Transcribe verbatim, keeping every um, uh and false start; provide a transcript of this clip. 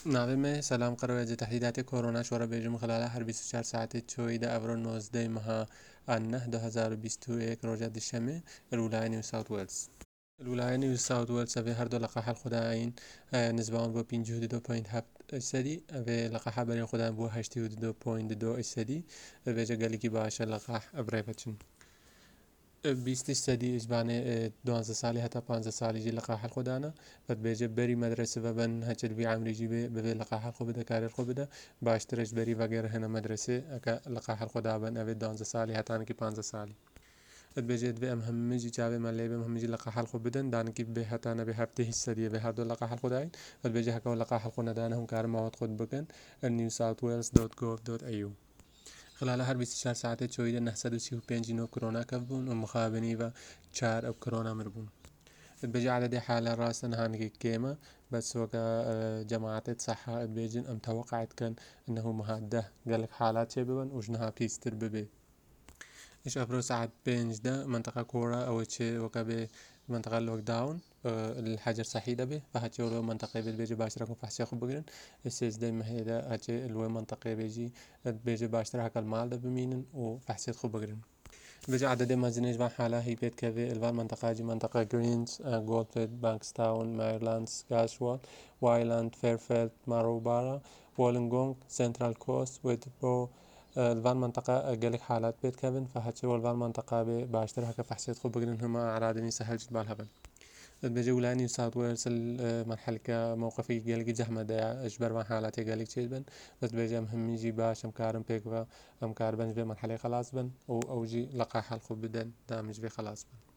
ناوی me سلام قەرەوە تهدیدات کۆرۆنا شۆرە بێژم خلال هەر بیست و چوار ساعت چۆی دە ئەڤرۆ نۆزدەی مەها ئەنە دو هەزار و بیست و یەک ڕۆژە دوشەمێ الولاية نيو ساوث ويلز. الولاية نيو ساوث ويلز ئەvێ هەردوو لقاح خوداین نزبان بۆ پێنج و دو پوینت هەفت سەدی ئەvێ لقاح بەرین خودان بۆ هەشتی و دو پوینت دو سەدی بێژە گەلێکی باشە لقاح ئەبرێ بچن. بیست سەدی ئیجبانێ دوازدە ساڵی هەتا پانزە ساڵی ژی لقاح خودانە بەت بێژە بەری مەدرسە بەبن هەچت بی عەمری ژی بێ ببێ لقاح خۆ بدە کارێر خۆ بدە باشترش بەری ڤەگەر هەنە مەدرسێ ئەکە لقاح خۆدا بن ئەvێ دوازدە ساڵی هەتانێکی پانزە ساڵی. بێژێت بێ ئەم هەمەجی چاوێ مە لێ بێم هەمەجی لقاح خۆ بدەن دانکی بێ هەتا نەبێ هەفتێ هیچ سەدیە بێ هەردوو لقاح خۆداین بێژە هەکەوە لقاح خۆ نەدانە هەم کارم ماوەت خۆت بکەن نیو ساوت وێلز دۆت گۆڤ دۆت ئەی یو. خلال هەر بیست و چوار ساعتێ چۆیدە نهصد و سی و پێنج نۆ کۆرۆنا کەف بوون و مخابنی بە چار ئەو کۆرۆنا مر بوون. بێژە عددی حالە ڕاستە نهانێکی کێمە بەس وەکە جەماعەتێت سەحا بێژن ئەم تەوەقعت کەن ئەنه مهاده گەلک حالات چێ ببن و ژنها پیستر ببێ. إيش أفرو ساعة پێنج دە منطقة كورا أو چه وەکە بێ منطقة لۆک داون الحجر صحي دەبێ فهەچێ لۆ منطقة بێت بێژە باشترە کۆ فحسێ خۆ بگرن. سێزدەی مەهێدە هەچێ لۆ منطقة بێژی بێژە باشترە هەکەل ماڵ دە بمینن و فحسێت خۆ بگرن. بێژە عددێ مەزنێش بان حالا هی پێت کەوێ الوان منطقة جی منطقة گرینز، گۆڵفێت، بانکستاون، مایرلاند، سکاشوال، وایلاند، فێرفێلد، ماروبارا، وۆلنگۆنگ، سنترال کۆست، وێتبۆ. الوان منطقة گەلک حالات پێت کەون فهەچێ والوان منطقة بێ باشتر هەکە فحسێت خۆ بگرن هەمە ئەعرادنی سەهل جد بال هەبن. بێژە ولاية نيو ساوث ويلز المرحلة موقفی گەلکی زەحمەتەیە ئەش بەروان حالاتێ گەلێک چێت بن بەس بێژە ئەم هەمیجی باش ئەم کارم پێکوە ئەم کار بنج بێ مەرحەلەی خەلاص بن و ئەوجی لقاح خۆ بدەن دامج بێ خەلاص بن.